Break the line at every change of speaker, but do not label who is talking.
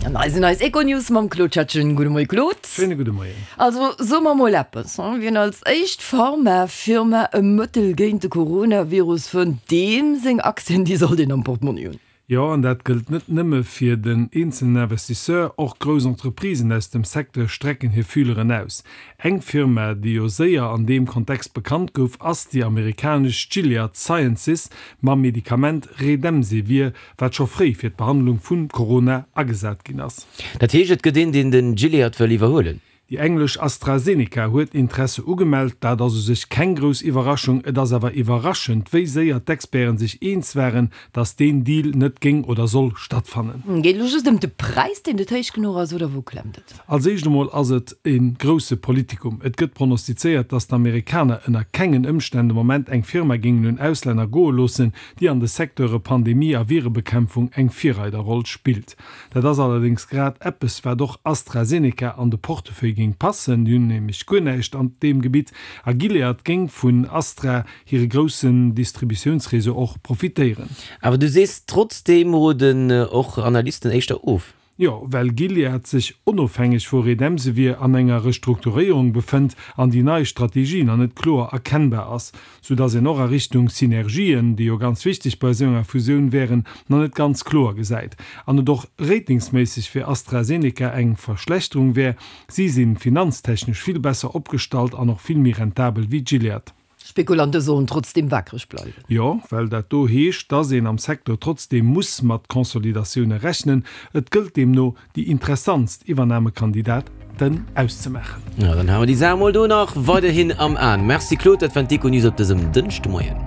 An hei sinn eis Econews mam Claude Schettgen. Gudde Moie Claude.
Schéine gudde Moien.
Also soe mer mol eppes, wien als éischt Pharma-Firma e Mëttel géint de Coronavirus fënnt, deem seng Aktien, déi sollt een am Portmonni hunn.
Jo, an dat gëllt net nëmme fir den eenzelen Investisseur, och grouss Entreprisen aus dem Secteur strecken hir Fühleren aus. Eng Firma, déi jo séier an deem Kontext bekannt gouf, ass déi amerikanesch Gilead Sciences mam Medikament Redemsevir, wat scho fréi fir d'Behandlung vun Corona agesat ginn ass.
Dat heescht, et gëtt een, deen den Gilead wëll iwwerhuelen?
Déi englesch AstraZeneca huet Interesse ugemellt. Dat ass u sech keng grouss Iwwerraschung. Et ass awer iwwerraschend, wéi séier d'Experten sech eens waren, datt deen Deal net géing oder soll stattfannen.
Geet elo just ëm de Präis, deen net héich genuch ass, oder wou klemmt et?
Als éischt emol ass et e grousse Politikum. Et gëtt pronostizéiert, datt d'Amerikaner ënner kengen Ëmstänn de Moment eng Firma géingen un Auslänner goe loossen, déi an de Secteure Pandemie a Virebekämpfung eng Virreiderroll spillt. Dat ass allerdéngs grad eppes, wat och AstraZeneca an de Portefeuille géing passen, déi hunn nämlech guer näischt an deem Gebitt, a Gilead géing vun Astra hire groussen Distributiounsreseau och profitéieren.
Awer du sees, trotzdeem roden och Analysten éischter of.
Jo, well Gilead sech onofhängeg vu Redemsevir an enger Restrukturéierung befënnt an déi nei Strategie nach net kloer erkennbar ass, sou dass een och a Richtung Synergien, déi jo ganz wichteg bei esou enger Fusioun wären, nach net ganz kloer gesäit an et och ratingsméisseg fir AstraZeneca eng Verschlechterung wär. Si si finanztechnesch vill besser opgestallt an och vill méi rentabel wéi Gilead.
Spekulante sollen trotzdeem wakereg bleiwen.
Jo, well dat do heescht, dass een am Secteur trotzdeem muss mat Consolidatioune rechnen. Et gëllt deemno, déi interessantst Iwwernamekandidaten auszemaachen.
Jo, dann hale mer déi Saach mol do nach weiderhin am Aen. Merci Claude, dat waren d'Econews op dësem Dënschdemoien.